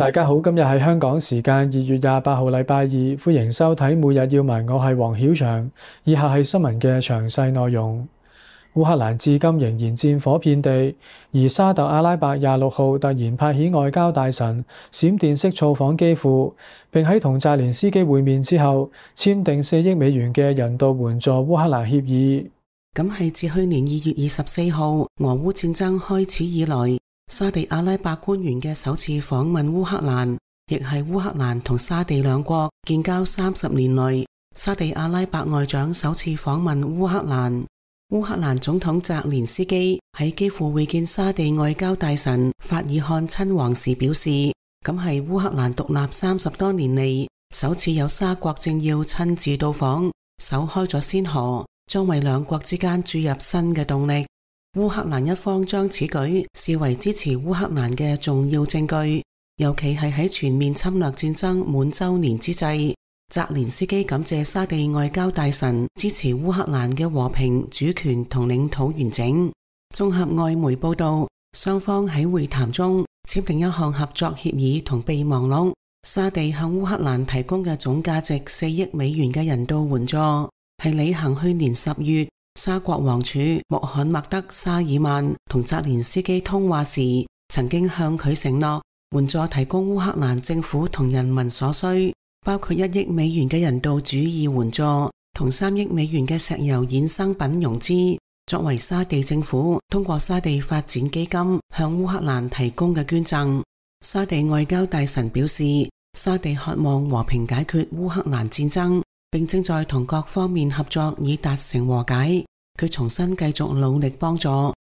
大家好，今日係香港時間2月28號禮拜二，歡迎收睇每日要聞，我係黃曉翔。以下係新聞嘅詳細內容。烏克蘭至今仍然戰火遍地，而沙特阿拉伯26號突然派遣外交大臣閃電式造訪基輔，並喺同澤連斯基會面之後，簽訂4億美元嘅人道援助烏克蘭協議。咁係自去年2月24號俄烏戰爭開始以來，沙地阿拉伯官員嘅首次訪問烏克蘭，亦係烏克蘭同沙地兩國建交30年來，沙地阿拉伯外長首次訪問烏克蘭。烏克蘭總統澤連斯基喺基輔會見沙地外交大臣法爾漢親王時表示，咁係烏克蘭獨立30多年嚟，首次有沙國政要親自到訪，首開咗先河，將為兩國之間注入新嘅動力。烏克蘭一方將此舉視為支持烏克蘭嘅重要證據，尤其係喺全面侵略戰爭滿週年之際，澤連斯基感謝沙地外交大臣支持烏克蘭嘅和平、主權同領土完整。綜合外媒報道，雙方喺會談中簽訂一項合作協議同備忘錄，沙地向烏克蘭提供嘅總價值4億美元嘅人道援助，係履行去年10月沙國王儲穆罕默德沙爾曼同澤連斯基通話時，曾經向佢承諾援助提供烏克蘭政府同人民所需，包括1億美元嘅人道主義援助同3億美元嘅石油衍生品融資，作為沙地政府通過沙地發展基金向烏克蘭提供嘅捐贈。沙地外交大臣表示，沙地渴望和平解決烏克蘭戰爭，並正在同各方面合作以達成和解。佢重新繼續努力幫助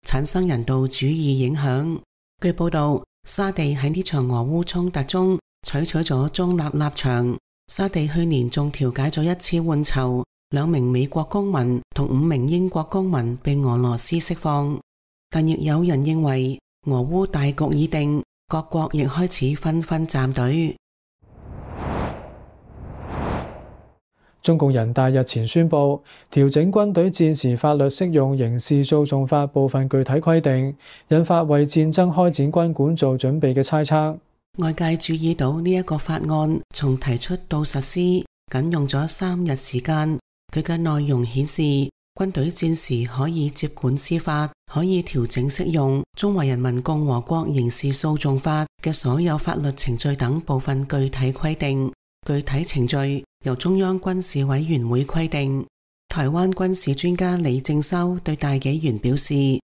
產生人道主義影響。據報道，沙地喺呢場俄烏衝突中採取咗中立立場。沙地去年仲調解咗一次換囚，2名美國公民同5名英國公民被俄羅斯釋放。但亦有人認為俄烏大局已定，各國亦開始紛紛站隊。中共人大日前宣布調整軍隊戰時法律適用刑事訴訟法部分具體規定，引發為戰爭開展軍管做準備嘅猜測。外界注意到呢一個法案從提出到實施僅用咗3日時間，佢嘅內容顯示軍隊戰時可以接管司法，可以調整適用中華人民共和國刑事訴訟法嘅所有法律程序等部分具體規定。具體程序由中央軍事委員會規定。台灣軍事專家李正修對大紀元表示，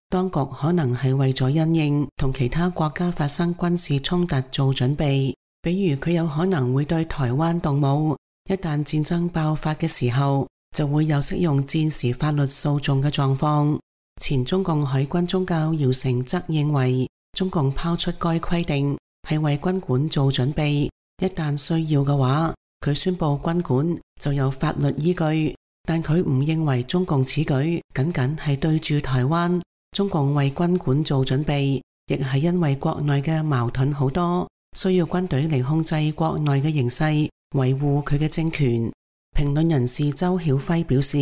當局可能係為咗因應同其他國家發生軍事衝突做準備，比如佢有可能會對台灣動武，一旦戰爭爆發嘅時候，就會有適用戰時法律訴訟嘅狀況。前中共海軍中校姚成則認為，中共拋出該規定係為軍管做準備，一旦需要嘅話，佢宣布軍管就有法律依據。但佢唔認為中共此舉僅僅係對住台灣，中共為軍管做準備，亦係因為國內嘅矛盾好多，需要軍隊嚟控制國內嘅形勢，維護佢嘅政權。評論人士周曉輝表示，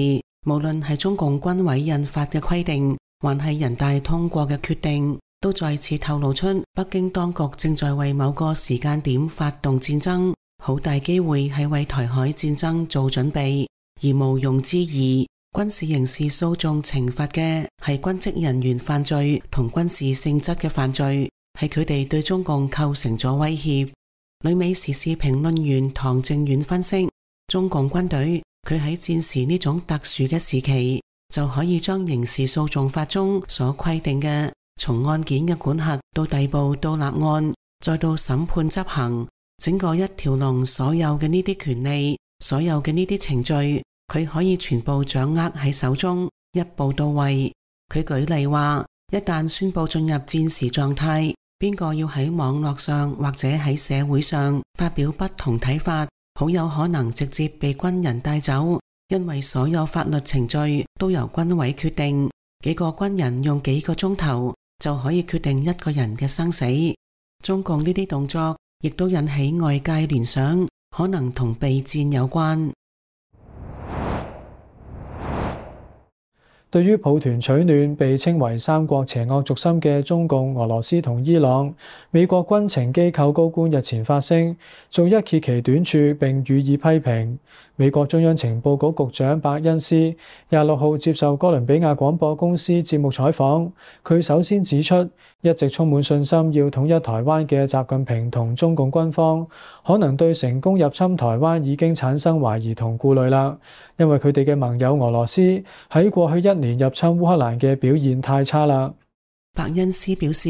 無論係中共軍委印發嘅規定，還係人大通過嘅決定，都再次透露出北京當局正在為某個時間點發動戰爭，好大機會係為台海戰爭做準備。而毋庸置疑，軍事刑事訴訟懲罰嘅係軍職人員犯罪同軍事性質嘅犯罪，係佢哋對中共構成咗威脅。旅美時事評論員唐正遠分析，中共軍隊佢喺戰時呢種特殊嘅時期，就可以將刑事訴訟法中所規定嘅從案件嘅管轄到逮捕到立案，再到審判執行，整個一條龍所有嘅呢啲權利，所有嘅呢啲程序，佢可以全部掌握喺手中，一步到位。佢舉例話，一旦宣布進入戰時狀態，邊個要喺網絡上或者喺社會上發表不同睇法，好有可能直接被軍人帶走，因為所有法律程序都由軍委決定，幾個軍人用幾個鐘頭就可以決定一個人嘅生死。中共呢啲動作亦都引起外界聯想，可能同備戰有關。對於抱團取暖被稱為三國邪惡軸心嘅中共、俄羅斯同伊朗，美國軍情機構高官日前發聲，逐一揭其短處並予以批評。美國中央情報局局長伯恩斯26號接受哥倫比亞廣播公司節目採訪，佢首先指出，一直充滿信心要統一台灣嘅習近平同中共軍方，可能對成功入侵台灣已經產生懷疑同顧慮啦，因為佢哋嘅盟友俄羅斯喺過去1年入侵烏克蘭嘅表現太差啦。伯恩斯表示，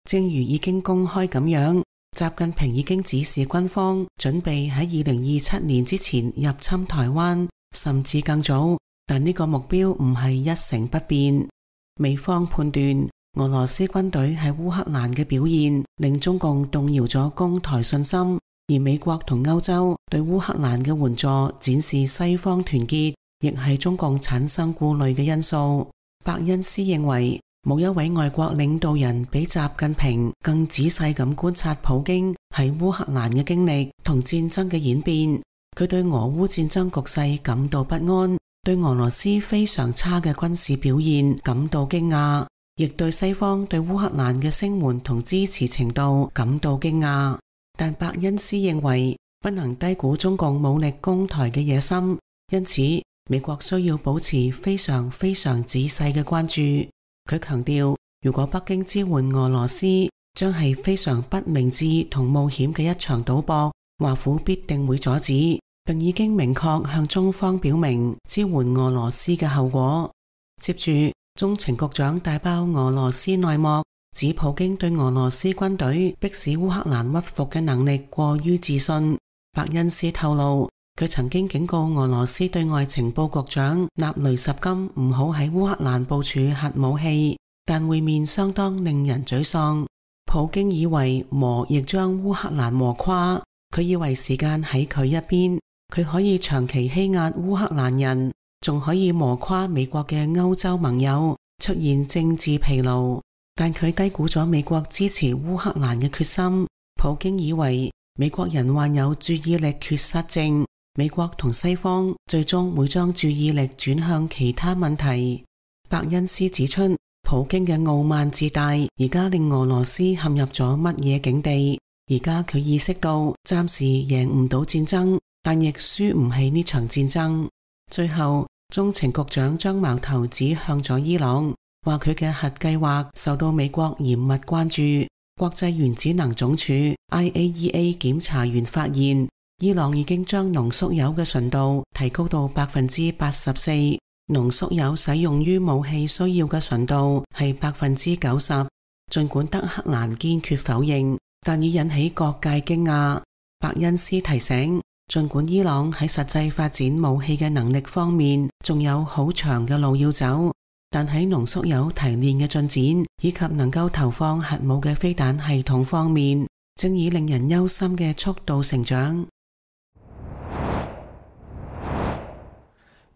正如已經公開咁樣，習近平已經指示軍方準備喺2027年之前入侵台灣，甚至更早，但呢個目標唔係一成不變。美方判斷俄羅斯軍隊喺烏克蘭嘅表現令中共動搖咗攻台信心，而美國同歐洲對烏克蘭嘅援助展示西方團結，亦係中共產生顧慮嘅因素。伯恩斯認為，冇一位外國領導人比習近平更仔細咁觀察普京喺烏克蘭嘅經歷同戰爭嘅演變。佢對俄烏戰爭局勢感到不安，對俄羅斯非常差嘅軍事表現感到驚訝，亦對西方對烏克蘭嘅聲援同支持程度感到驚訝。但伯恩斯認為，不能低估中共武力攻台嘅野心，因此美國需要保持非常仔細嘅關注。佢強調，如果北京支援俄羅斯，將係非常不明智同冒險嘅一場賭博，華府必定會阻止，並已經明確向中方表明支援俄羅斯嘅後果。接住，中情局長大爆俄羅斯內幕，指普京對俄羅斯軍隊迫使烏克蘭屈服嘅能力過於自信。伯恩斯透露，佢曾經警告俄羅斯對外情報局長納雷什金唔好喺烏克蘭部署核武器，但會面相當令人沮喪。普京以為磨亦將烏克蘭磨垮，佢以為時間喺佢一邊，佢可以長期欺壓烏克蘭人，仲可以磨垮美國嘅歐洲盟友，出現政治疲勞。但佢低估咗美國支持烏克蘭嘅決心。普京以為美國人患有注意力缺失症，美國同西方最終會將注意力轉向其他問題。伯恩斯指出，普京嘅傲慢自大而家令俄羅斯陷入咗乜嘢境地？而家佢意識到暫時贏唔到戰爭，但亦輸唔起呢場戰爭。最後，中情局長將矛頭指向咗伊朗，話佢嘅核計劃受到美國嚴密關注。國際原子能總署 IAEA 檢查員發現，伊朗已經將濃縮鈾嘅純度提高到84%，濃縮鈾使用於武器需要嘅純度係90%。盡管德黑蘭堅決否認，但已引起各界驚訝。伯恩斯提醒，盡管伊朗喺實際發展武器嘅能力方面仲有好長嘅路要走，但喺濃縮鈾提煉嘅進展以及能夠投放核武嘅飛彈系統方面，正以令人憂心嘅速度成長。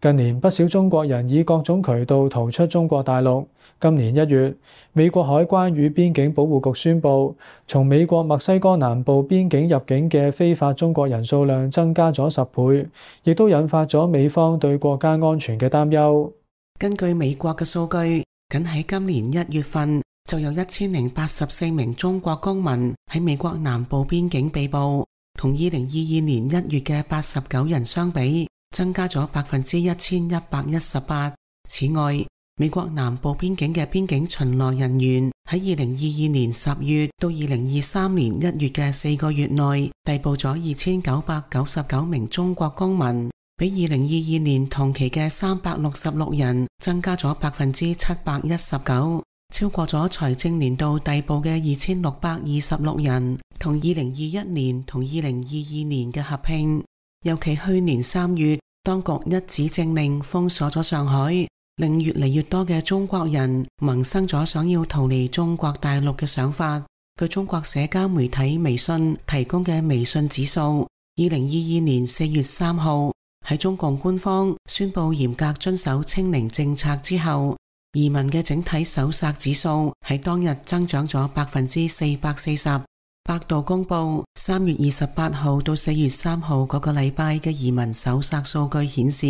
近年不少中國人以各種渠道逃出中國大陸。今年1月，美國海關與邊境保護局宣布，從美國墨西哥南部邊境入境嘅非法中國人數量增加咗10倍，亦都引發咗美方對國家安全嘅擔憂。根據美國嘅數據，僅喺今年1月份就有1084名中國公民喺美國南部邊境被捕，同2022年1月嘅89人相比，增加咗1118%。此外，美國南部邊境嘅邊境巡邏人員喺2022年10月到2023年1月嘅4個月內，逮捕咗2999名中國公民，比2022年同期嘅366人增加咗719%，超過咗財政年度逮捕嘅2626人，同2021年同2022年嘅合併。尤其去年3月，當局一紙政令封鎖咗上海，令越嚟越多嘅中國人萌生咗想要逃離中國大陸嘅想法。據中國社交媒體微信提供嘅微信指數，2022年4月3號喺中共官方宣布嚴格遵守清零政策之後，移民嘅整體搜索指數喺當日增長咗440%。百度公布3月28號到4月3號嗰個禮拜嘅移民搜索數據顯示，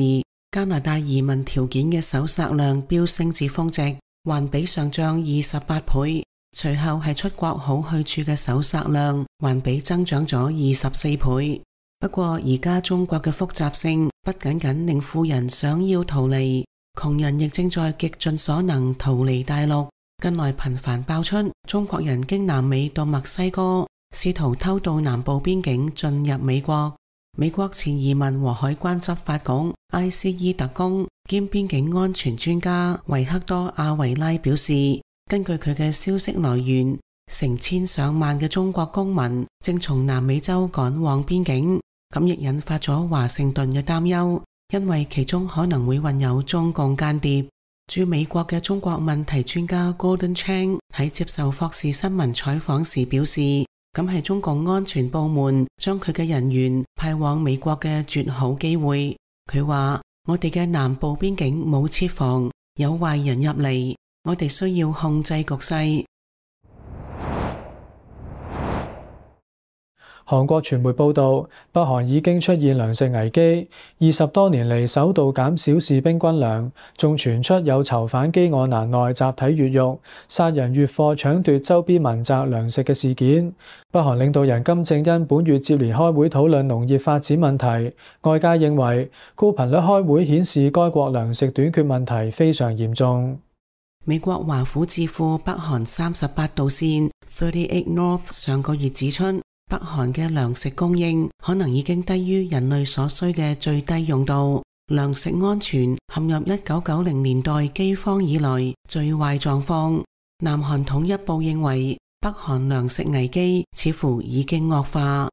加拿大移民條件嘅搜索量飆升至峰值，環比上漲28倍。隨後係出國好去處嘅搜索量，環比增長咗24倍。不過而家中國嘅複雜性不僅僅令富人想要逃離，窮人亦正在極盡所能逃離大陸。近來頻繁爆出中國人經南美到墨西哥，試圖偷渡南部邊境進入美國。美國前移民和海關執法局 ICE 特工兼邊境安全專家維克多·阿維拉表示，根據佢嘅消息來源，成千上萬嘅中國公民正從南美洲趕往邊境，咁亦引發咗華盛頓嘅擔憂，因為其中可能會混有中共間諜。駐美國嘅中國問題專家 Gordon Chang 喺接受霍士新聞採訪時表示，咁係中共安全部門將佢嘅人員派往美國嘅絕好機會。佢話：我哋嘅南部邊境冇設防，有壞人入嚟，我哋需要控制局勢。韓國傳媒報道，北韓已經出現糧食危機，20多年嚟首度減少士兵軍糧，仲傳出有囚犯飢餓難耐集體越獄、殺人越貨搶奪周邊民宅糧食嘅事件。北韓領導人金正恩本月接連開會討論農業發展問題，外界認為高頻率開會顯示該國糧食短缺問題非常嚴重。美國華府智庫北韓38度線 38 North 上個月指出，北韓嘅糧食供應可能已經低於人類所需嘅最低用度，糧食安全陷入1990年代饑荒以來最壞狀況。南韓統一部認為，北韓糧食危機似乎已經惡化。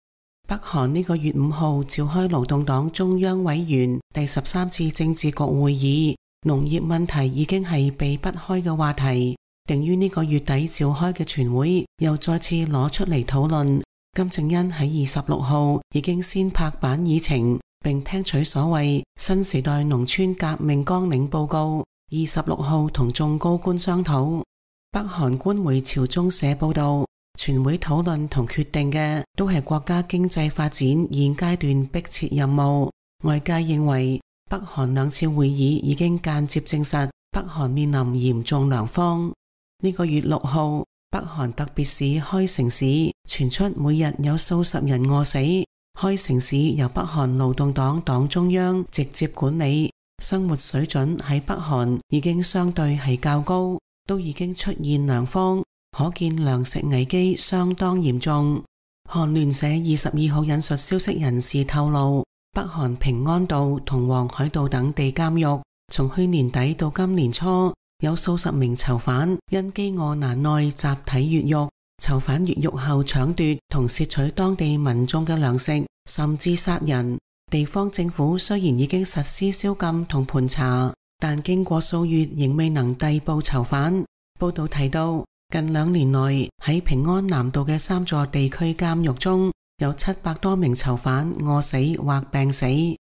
北韓呢個月5號召開勞動黨中央委員第13次政治局會議，農業問題已經係避不開嘅話題，定於呢個月底召開嘅全會又再次攞出嚟討論。金正恩喺26號已經先拍板議程，並聽取所謂新時代農村革命綱領報告，26號同眾高官商討。北韓官媒朝中社報道，全會討論同決定嘅都係國家經濟發展現階段迫切任務。外界認為北韓兩次會議已經間接證實北韓面臨嚴重糧荒。呢個月6號，北韓特別市開城市傳出每日有數十人餓死。開城市由北韓勞動黨黨中央直接管理，生活水準喺北韓已經相對係較高，都已經出現糧荒，可見糧食危機相當嚴重。韓聯社22號引述消息人士透露，北韓平安道同黃海道等地監獄從去年底到今年初，有數十名囚犯因飢餓難耐集體越獄，囚犯越獄後搶奪同竊取當地民眾嘅糧食，甚至殺人。地方政府雖然已經實施宵禁同盤查，但經過數月仍未能逮捕囚犯。報道提到，近2年內喺平安南道嘅3座地區監獄中，有700多名囚犯餓死或病死。呢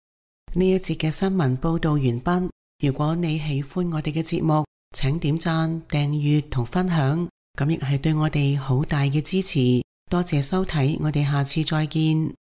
一節嘅新聞報道完畢。如果你喜歡我哋嘅節目，請點讚、訂閱同分享，咁亦係對我哋好大嘅支持。多謝收睇，我哋下次再見。